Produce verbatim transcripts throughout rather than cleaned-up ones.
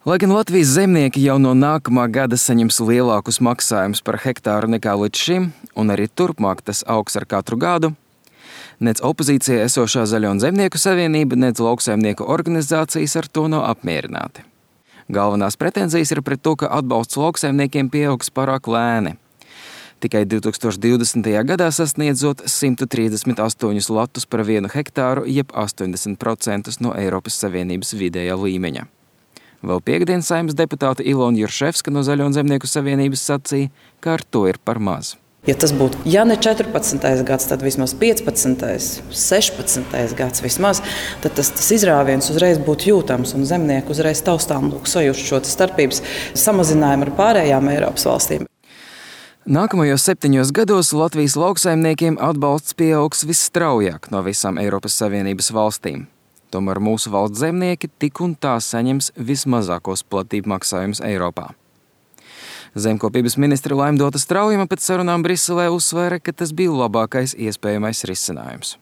Lai gan Latvijas zemnieki jau no nākamā gada saņems lielākus maksājumus par hektāru nekā līdz šim, un arī turpmāk tas augs ar katru gadu, nec opozīcijā esošā Zaļo un Zemnieku savienība, nec lauksaimnieku organizācijas ar to nav apmierināti. Galvenās pretenzijas ir pret to, ka atbalsts lauksaimniekiem pieaugs pārāk lēni. Tikai divi tūkstoši divdesmitajā gadā sasniedzot simt trīsdesmit astoņus latus par vienu hektāru, jeb astoņdesmit procentus no Eiropas Savienības vidējā līmeņa. Vēl piekdien Saeimas deputāte Ilona Jurševska no Zaļo un Zemnieku savienības sacīja, ka ar to ir par maz. Ja tas būtu, ja ne četrpadsmitais gads, tad vismaz piecpadsmitais, sešpadsmitais gads vismaz, tad tas, tas izrāviens uzreiz būtu jūtams un zemnieki uzreiz taustām lūk sajust šo starpības samazinājumu ar pārējām Eiropas valstīm. Nākamajos septiņos gados Latvijas lauksaimniekiem atbalsts pieaugs visstraujāk no visām Eiropas Savienības valstīm. Tomēr mūsu valsts zemnieki tik un tā saņems vismazākos platību maksājumus Eiropā. Zemkopības ministre Laimdota Straujuma pēc sarunām Briselē uzsvēra, ka tas bija labākais iespējamais risinājums.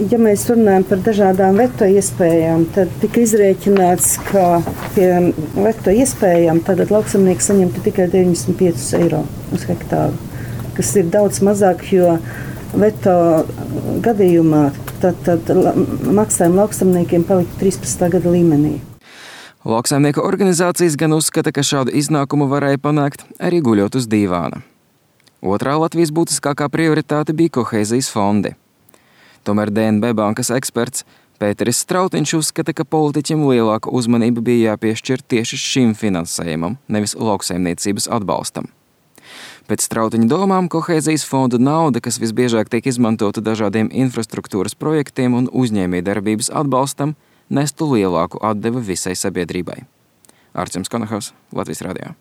Ja mēs runājam par dažādām veto iespējām, tad tika izrēķināts, ka pie veto iespējām tātad lauksaimnieks saņemtu tikai deviņdesmit piecus eiro uz hektāru, kas ir daudz mazāk, jo veto gadījumā tad, tad maksājumi lauksaimniekiem palika trīspadsmitā gada līmenī. Lauksaimnieku organizācijas gan uzskata, ka šādu iznākumu varēja panākt arī guļot uz dīvāna. Otrā Latvijas būtiskākā prioritāte bija kohēzijas fondi. Tomēr D N B bankas eksperts Pēteris Strautiņš uzskata, ka politiķiem lielāka uzmanība bija jāpiešķir tieši šim finansējumam, nevis lauksaimniecības atbalstam. Pēc Strautiņa domām, kohēzijas fondu nauda, kas visbiežāk tiek izmantota dažādiem infrastruktūras projektiem un uzņēmējdarbības atbalstam, nestu lielāku atdevi visai sabiedrībai. Arcims Konahaus, Latvijas radio.